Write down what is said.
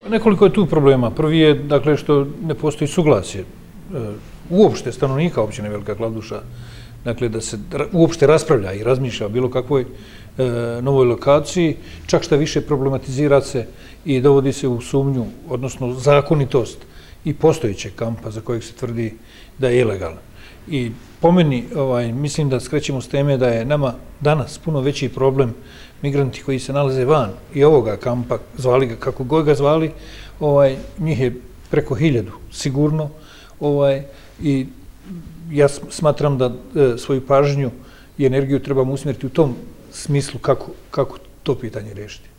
Nekoliko je tu problema. Prvi je, dakle, što ne postoji suglasje uopšte stanovnika općine Velika Kladuša, dakle, da se uopšte raspravlja i razmišlja o bilo kakvoj novoj lokaciji, čak šta više problematizira se i dovodi se u sumnju, odnosno zakonitost i postojećeg kampa za kojeg se tvrdi da je ilegalan. I po meni, mislim da skrećemo s teme da je nama danas puno veći problem migranti koji se nalaze van i ovoga kampa, zvali ga kako god ga zvali, njih je preko 1000 sigurno, i ja smatram da svoju pažnju i energiju trebamo usmjeriti u tom smislu kako to pitanje riješiti.